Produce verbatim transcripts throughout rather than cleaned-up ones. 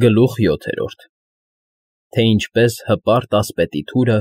Գլուխ յոթերորդ Թե ինչպես հպարտ ասպետի թուրը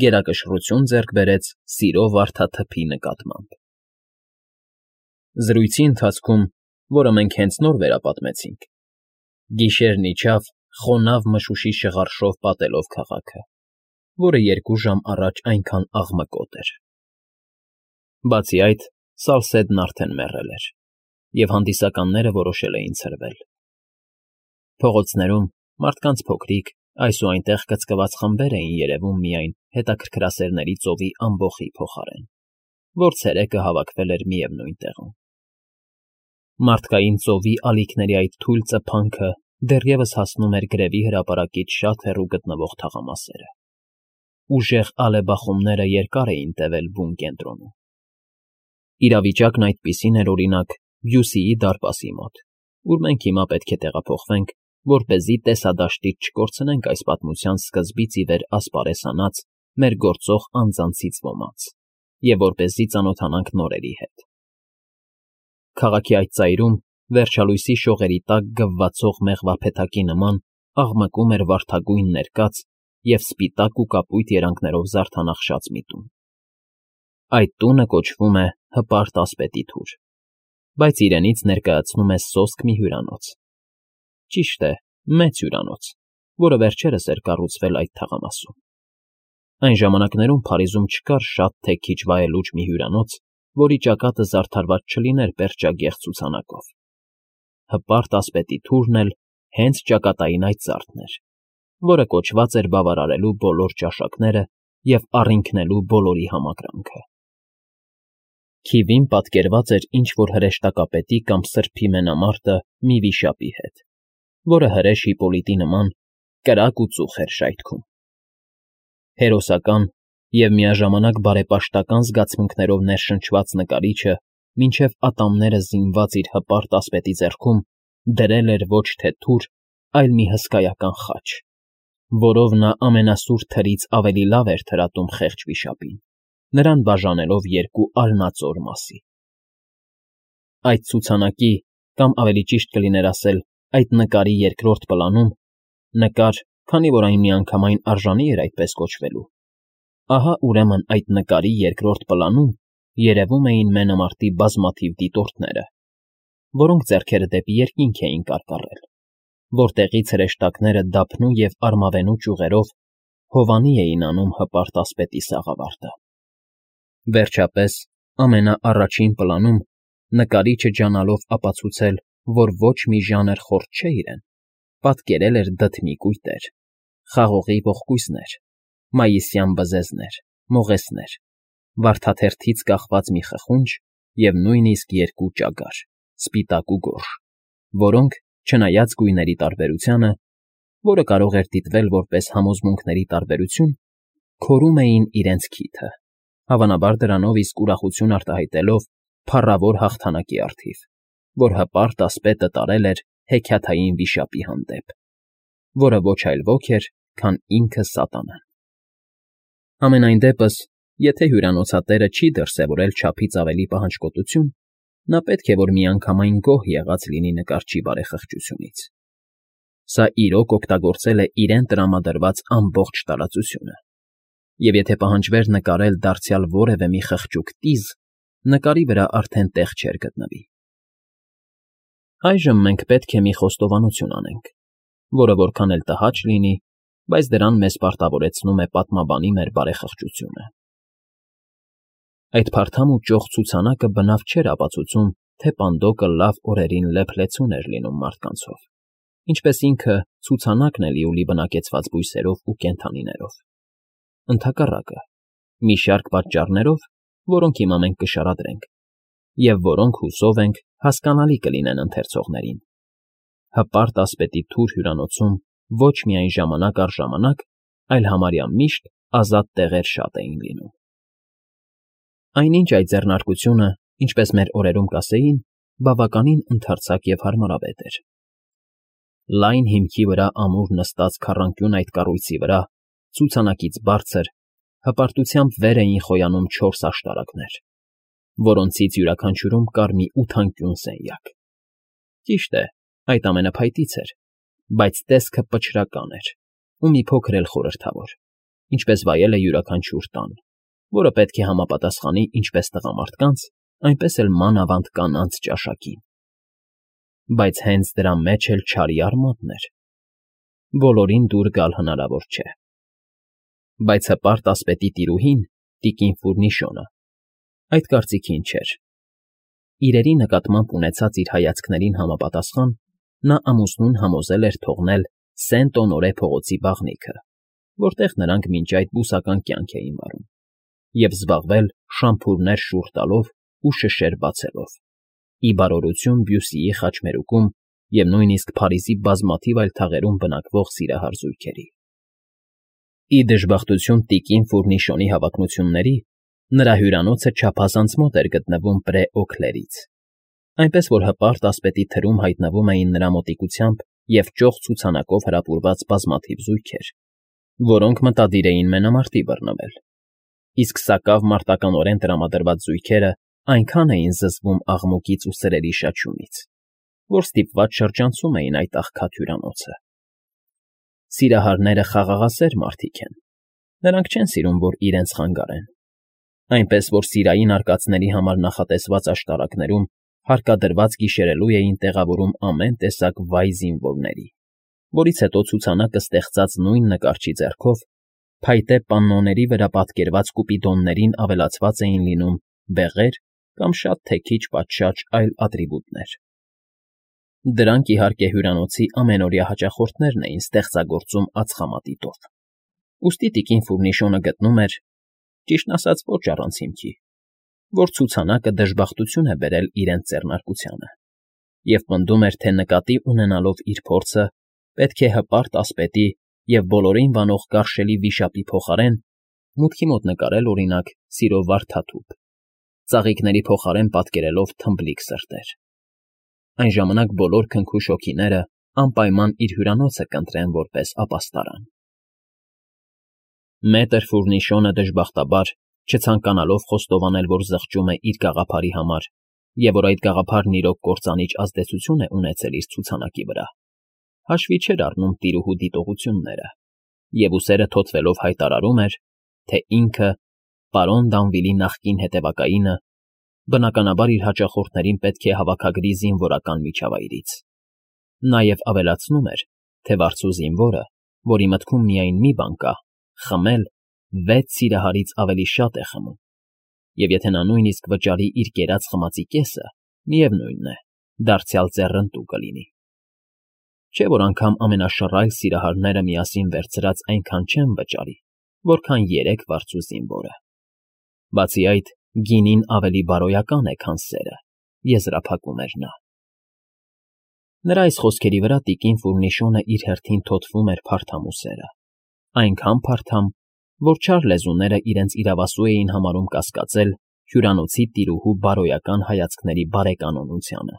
գերակշռություն ձեռք բերեց սիրո վարդաթփի նկատմամբ։ Զրույցի ընթացքում, որը մենք հենց նոր վերապատմեցինք, գիշերն իջավ խոնավ մշուշի շղարշով պատելով քաղաքը, որը երկու ժամ առաջ այնքան աղմկոտ էր։ Բացի այդ, Սալսեդն արդեն մեռել էր, և հանդիսականները որոշել էին ցրվել։ Փողոցներում մարդկանց փոքրիկ, այս ու այնտեղ կծկված խմբեր էին երևում միայն հետաքրքրասերների ծովի ամբոխի փոխարեն, որ ցերեկը հավաքվել էր միևնույն տեղում։ Մարդկային ծովի ալիքների այդ թույլ ծփանքը դեռևս հասնում էր գրևի հրապարակից շատ հեռու գտնվող թաղամասերը։ Ուժեղ ալեբախումները երկար էին տևել բուն կենտրոնում։ Իրավիճակն այդպիսին էր, օրինակ, Բյուսիի դարպասի մոտ, ուր մենք հիմա պետք է տեղափոխվենք, որպեսզի տեսադաշտից չկորցնենք այս պատմության սկզբից ի վեր ասպարեզանած մեր գործող անձանցից ոմանց, և որպեսզի ծանոթանանք նորերի հետ։ Քաղաքի այդ ծայրում, վերջալույսի շողերի տակ գվվացող մեղվափեթակի նման, աղմկում էր վարդագույն ներկած և սպիտակ ու կապույտ երանգներով զարդանախշած մի տուն։ Այդ տունը կոչվում է Հպարտ ասպետի թուր, բայց իրենից ներկայացնում է սոսկ մի հյուրանոց։ Ճիշտ է, մեծ հյուրանոց, որը վերջերս էր կառուցվել այդ թաղամասում։ Այն ժամանակներում Փարիզում չկար շատ թե քիչ վայելուչ մի հյուրանոց, որի ճակատը զարդարված չլիներ պերճագեղ ցուցանակով։ Հպարտ ասպետի թուրն էլ հենց ճակատային այդ զարդն էր, որը կոչված էր բավարարելու բոլոր ճաշակները և առինքնելու բոլորի համակրանքը։ Քիվին պատկերված էր ինչ֊որ հրեշտակապետի կամ սրբի մենամարտը մի վիշապի հետ, որը հրեշ Հիպոլիտի նման կրակ ու ծուխ էր շայթքում։ Հերոսական և միաժամանակ բարեպաշտական զգացմունքներով ներշնչված նկարիչը մինչև ատամները զինված իր հպարտ ասպետի ձեռքում դրել էր ոչ թե թուր, այլ մի հսկայական խաչ, որով նա ամենասուր թրից ավելի լավ էր թրատում խեղճ վիշապին, նրան բաժանելով երկու արնածոր մասի։ Այդ ցուցանակի, կամ ավելի ճիշտ կլիներ ասել, այդ նկարի երկրորդ պլանում, նկար, քանի որ այն միանգամայն արժանի էր այդպես կոչվելու, ահա ուրեմն այդ նկարի երկրորդ պլանում երևում էին մենամարտի բազմաթիվ դիտորդները, որոնք ձեռքերը դեպի երկինք էին կարկառել, որտեղից հրեշտակները դափնու և արմավենու ճյուղերով հովանի էին անում հպարտ ասպետի սաղավարտը։ Վերջապես, ամենաառաջին պլանում, նկարիչը ջանալով ապացուցել, որ ոչ մի ժանր խորթ չէ իրեն, պատկերել էր դդմի կույտեր, խաղողի ողկույզներ, մայիսյան բզեզներ, մողեսներ, վարդաթերթից կախված մի խխունջ և նույնիսկ երկու ճագար, սպիտակ ու գորշ, որոնք, չնայած գույների տարբերությանը, որը կարող էր դիտվել որպես համոզմունքների տարբերություն, քորում էին իրենց քիթը, հավանաբար դրանով իսկ ուրախություն արտահայտելով փառավոր հաղթանակի առթիվ, որ հպարտ ասպետը տարել էր հեքիաթային վիշապի հանդեպ, որը ոչ այլ ոք էր, քան ինքը սատանան։ Համենայն դեպս, եթե հյուրանոցատերը չի դրսևորել չափից ավելի պահանջկոտություն, նա պետք է որ միանգամայն գոհ եղած լինի նկարչի բարեխղճությունից։ Սա իրոք օգտագործել է իրեն տրամադրված ամբողջ տարածությունը, և եթե պահանջվեր նկարել դարձյալ որևէ մի խղճուկ տիզ, նկարի վրա արդեն տեղ չէր գտնվի։ Այժմ մենք պետք է մի խոստովանություն անենք, որը որքան էլ տհաճ լինի, բայց դրան մեզ պարտավորեցնում է պատմաբանի մեր բարեխղճությունը։ Այդ փարթամ ու ճոխ ցուցանակը բնավ չէր ապացուցում, թե պանդոկը լավ օրերին լեփ-լեցուն էր լինում մարդկանցով, ինչպես ինքը ցուցանակն է լիուլի բնակեցված բույսերով ու կենդանիներով։ Ընդհակառակը, մի շարք պատճառներով, որոնք հիմա մենք կշարադրենք, և որոնք, հուսով ենք, հասկանալի կլինեն ընթերցողներին, հպարտ ասպետի թուր հյուրանոցում ոչ միայն ժամանակ առ ժամանակ, այլ համարյա միշտ ազատ տեղեր շատ էին լինում։ Այնինչ այդ ձեռնարկությունը, ինչպես մեր օրերում կասեին, բավականին ընդարձակ և հարմարավետ էր։ Լայն հիմքի վրա ամուր նստած քառանկյուն այդ կառույցի վրա, ցուցանակից բարձր, հպարտությամբ վեր էին խոյանում չորս աշտարակներ, որոնցից յուրաքանչյուրում կար մի ութանկյուն սենյակ։ Ճիշտ է, այդ ամենափայտից էր, Բայց տեսքը պչրական էր ու մի փոքր էլ խորհրդավոր, ինչպես վայել է յուրաքանչյուր տան, որը պետք է համապատասխանի ինչպես տղամարդկանց, այնպես էլ մանավանդ կանանց ճաշակին։ Բայց հենց դրա մեջ էլ չարի արմատն էր. բոլորին դուր գալ հնարավոր չէ։ Բայց հպարտ ասպետի տիրուհին, տիկին Ֆուրնիշոնը, այդ կարծիքին չէր։ Իրերի նկատմամբ ունեցած իր հայացքներին համապատասխան, նա ամուսնուն համոզել էր թողնել Սենտ֊Օնորե փողոցի բաղնիքը, որտեղ նրանք մինչ այդ բուսական կյանք էին վարում, և զբաղվել շամփուրներ շուռ տալով ու շշեր բացելով, ի բարօրություն Բյուսիի խաչմերուկում և նույնիսկ Փարիզի բազմաթիվ այլ թաղերում բնակվող սիրահար զույգերի։ Ի դժբախտություն տիկին Ֆուրնիշոնի հավակնությունների, նրա հյուրանոցը չափազանց մոտ էր գտնվում Պրե Օքլերից, այնպես որ հպարտ ասպետի թրում հայտնվում էին նրա մոտիկությամբ և ճոխ ցուցանակով հրապուրված բազմաթիվ զույգեր, որոնք մտադիր էին մենամարտի բռնվել, իսկ սակավ մարտականորեն տրամադրված զույգերը այնքան էին զզվում աղմուկից ու սրերի շաչյունից, որ ստիպված շրջանցում էին այդ աղքատ հյուրանոցը։ Սիրահարները խաղաղասեր մարդիկ են, նրանք չեն սիրում, որ իրենց խանգարեն, այնպես որ սիրային արկածների համար նախատեսված աշտարակներում հարկադրված գիշերելու էին տեղավորում ամեն տեսակ վայ զինվորների, որից հետո ցուցանակը ստեղծած նույն նկարչի ձեռքով փայտե պաննոների վրա պատկերված կուպիդոններին ավելացված էին լինում բեղեր կամ շատ թե քիչ պատշաճ այլ ատրիբուտներ։ Դրանք, իհարկե, հյուրանոցի ամենօրյա հաճախորդներն էին ստեղծագործում ածխամատիտով, ուստի տիկին Ֆուրնիշոնը գտնում էր, ճիշտն ասած ոչ առանց հիմքի, որ ցուցանակը դժբախտություն է բերել իրենց ձեռնարկությանը, և պնդում էր, թե նկատի ունենալով իր փորձը, պետք է հպարտ ասպետի և բոլորին վանող գարշելի վիշապի փոխարեն մուտքի մոտ նկարել, օրինակ, սիրո վարդաթուփ, ծաղիկների փոխարեն պատկերելով թմբլիկ սրտեր։ Այն ժամանակ բոլոր քնքուշ հոգիները անպայման իր հյուրանոցը կընտրեն որպես ապաստարան։ Մետր Ֆուրնիշոնը դժբախտաբար, չցանկանալով խոստովանել, որ զղջում է իր գաղափարի համար և որ այդ գաղափարն իրոք կործանիչ ազդեցություն է ունեցել իր ցուցանակի վրա, հաշվի չէր առնում տիրուհու դիտողությունները և ուսերը թոթվելով հայտարարում էր, թե ինքը, պարոն Դանվիլի նախկին հետևակայինը, բնականաբար իր հաճախորդներին պետք է հավաքագրի զինվորական միջավայրից։ Նաև ավելացնում էր, թե վարձու զինվորը, որի մտքում միայն մի բան կա՝ խմել, վեց սիրահարից ավելի շատ է խմում, և եթե նա նույնիսկ վճարի իր կերած խմածի կեսը, միևնույն է, դարձյալ ձեռնտու կլինի։ Չէ՞ որ անգամ ամենաշռայլ սիրահարները միասին վերցրած այնքան չեն վճարի, որքան երեք վարձու զինվորը։ Բացի այդ, գինին ավելի բարոյական է, քան սերը, եզրափակում էր նա։ Նրա այս խոսքերի վրա տիկին Ֆուրնիշոնը իր հերթին թոթվում էր փարթամուսերը, այնքան փարթամ, որ չար լեզուները իրենց իրավասու էին համարում կասկածել հյուրանոցի տիրուհու բարոյական հայացքների բարեկանոնությանը։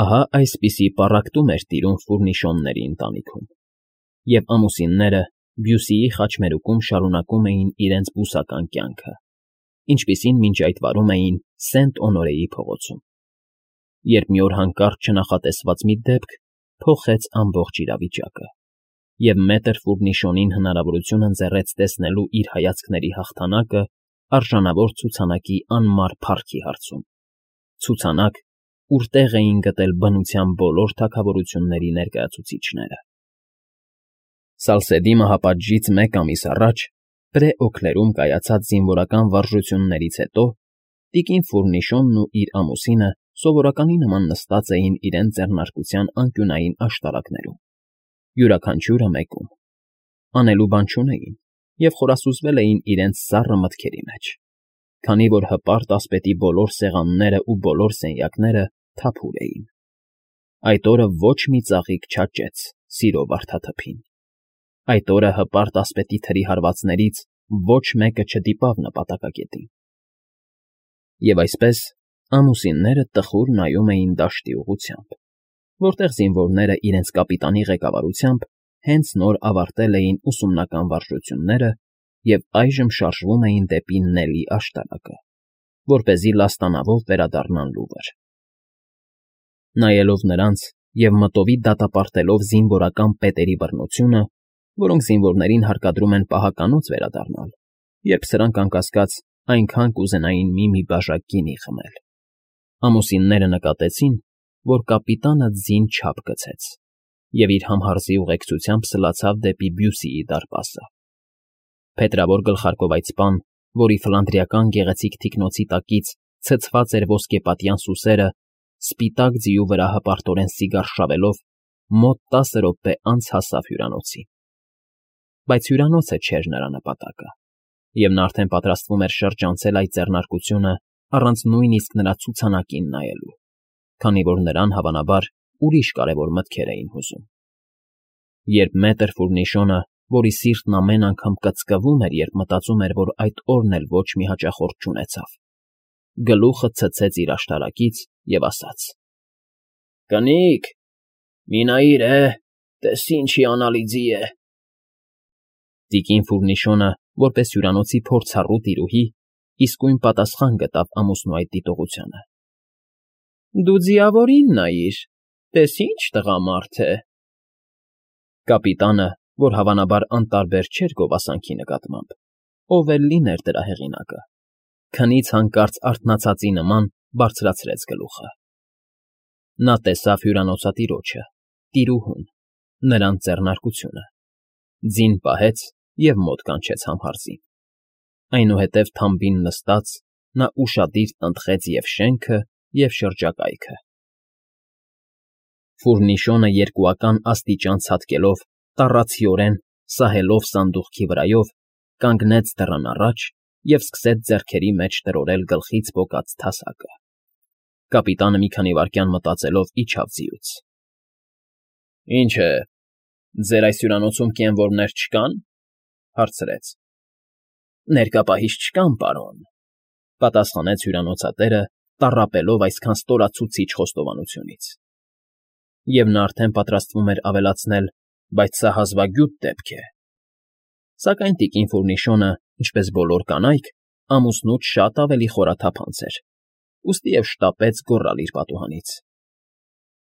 Ահա այսպիսի պառակտում էր տիրում Ֆուրնիշոնների ընտանիքում, և ամուսինները Բյուսիի խաչմերուկում շարունակում էին իրենց բուսական կյանքը, ինչպիսին մինչ այդ վարում էին Սենտ֊Օնորեի փողոցում, երբ մի օր հանկարծ չնախատեսված մի դեպք փոխեց ամբողջ իրավիճակը, և մետր Ֆուրնիշոնին հնարավորություն ընձեռեց տեսնելու իր հայացքների հաղթանակը արժանավոր ցուցանակի անմար փառքի հարցում, ցուցանակ, ուր տեղ էին գտել բնության բոլոր թագավորությունների ներկայացուցիչները։ Սալսեդի մահապատժից մեկ ամիս առաջ Պրե Օքլերում կայացած զինվորական վարժություններից հետո տիկին Ֆուրնիշոնն ու իր ամուսինը սովորականի նման նստած էին իրենց ձեռնարկության անկյունային աշտարակներում, յուրաքանչյուրը մեկում, անելու բան չունեին և խորասուզվել էին իրենց սառը մտքերի մեջ, քանի որ հպարտ ասպետի բոլոր սեղանները ու բոլոր սենյակները թափուր էին։ Այդ օրը ոչ մի ծաղիկ չաճեց սիրո վարդաթփին։ Այդ օրը հպարտ ասպետի թրի հարվածներից ոչ մեկը չդիպավ նպատակակետին։ Եվ այսպես ամուսինները տխուր նայում էին դաշտի ուղղությամբ, որտեղ զինվորները իրենց կապիտանի ղեկավարությամբ հենց նոր ավարտել էին ուսումնական վարժությունները և այժմ շարժվում էին դեպի Նելի աշտարակը, որպեսզի լաստանավով վերադառնան լուվր։ Նայելով նրանց, և մտովի դատապարտելով զինվորական պետերի բռնությունը, որոնք զինվորներին հարկադրում են պահականոց վերադառնալ, երբ սրանք, անկասկած, այնքան կուզենային մի֊մի բաժակ գինի խմել, ամուսինները նկատեցին, որ կապիտանը ձին չափ գցեց և իր համհարզի ուղեկցությամբ սլացավ դեպի Բյուսիի դարպասը. փետրավոր գլխարկով այծպան, որի ֆլանդրիական գեղեցիկ թիկնոցի տակից ցցված էր ոսկեպատյան սուսերը, սպիտակ ձիու վրա հպարտորեն սիգար շավելով, մոտ տասը րոպե անց հասավ հյուրանոցի։ Բայց հյուրանոցը չէր նրա նպատակը, և նա արդեն պատրաստվում էր շրջանցել այդ ձեռնարկությունը առանց նույնիսկ նրա ցուցանակին նայելու, քանի որ նրան, հավանաբար, ուրիշ կարևոր մտքեր էին հուզում։ Երբ մետր Ֆուրնիշոնը, որի սիրտն ամեն անգամ կծկվում էր, երբ մտածում էր, որ այդ օրն էլ ոչ մի հաճախորդ չունեցավ, գլուխը ցցեց իր աշտարակից և ասաց. «Կնիկ, մի նայիր է, տես ինչ հիանալի ձի է»։ Տիկին Ֆուրնիշոնը, որպես հյուրանոցի փորձառու տիրուհի, իսկույն պատասխան գտավ ամուսնու այդ դիտողությանը. «Դու ձիավորին նայիր, տես ինչ տղամարդ է»։ Կապիտանը, որ հավանաբար անտարբեր չէր գովասանքի նկատմամբ, ով էլ լիներ դրա հեղինակը, քնից հանկարծ արթնացածի նման բարձրացրեց գլուխը։ Նա տեսավ հյուրանոցատիրոջը, տիրուհուն, նրանց ձեռնարկությունը, ձին պահեց և մոտ կանչեց համհարզին։ Այնուհետև թամբին նստած՝ նա ուշադիր տնտղեց և շենքը, և շրջակայքը։ Ֆուրնիշոնը երկուական աստիճան ցատկելով, տառացիորեն, սահելով սանդուղքի վրայով, կանգնեց դռան առաջ և սկսեց ձեռքերի մեջ տրորել գլխից պոկած թասակը։ Կապիտանը մի քանի վայրկյան մտածելով իջավ ձիուց։ ֊ Ինչ է, ձեր այս հյուրանոցում կենվորներ չկա՞ն,֊ հարցրեց։ ֊ Ներկա պահից չկան, պարոն,֊ պատասխանեց հյուրանոցատերը, տառապելով այսքան ստորացուցիչ խոստովանությունից։ Եվ նա արդեն պատրաստվում էր ավելացնել. «Բայց սա հազվագյուտ դեպք է»։ Սակայն տիկին Ֆուրնիշոնը, ինչպես բոլոր կանայք, ամուսնուց շատ ավելի խորաթափանց էր, ուստիև շտապեց գոռալ իր պատուհանից.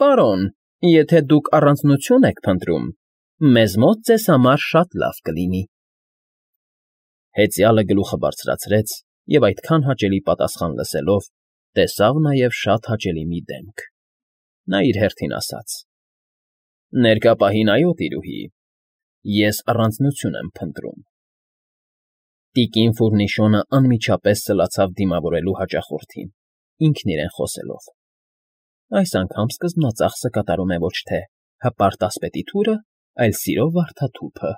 «Պարոն, եթե դուք առանձնություն եք փնտրում, մեզ մոտ ձեզ համար շատ լավ կլինի»։ Հեծյալը գլուխը բարձրացրեց և այդքան հաճելի պատասխան լսելով, տեսավ նաև շատ հաճելի մի դեմք։ Նա իր հերթին ասաց. «Ներկա պահին, այո, տիրուհի, ես առանձնություն եմ փնտրում»։ Տիկին Ֆուրնիշոնը անմիջապես սլացավ դիմավորելու հաճախորդին, ինքն իրեն խոսելով. «Այս անգամ սկզբնածախսը կատարում է ոչ թե հպարտ ասպետի թուրը, այլ սիրո վարդաթուփը»։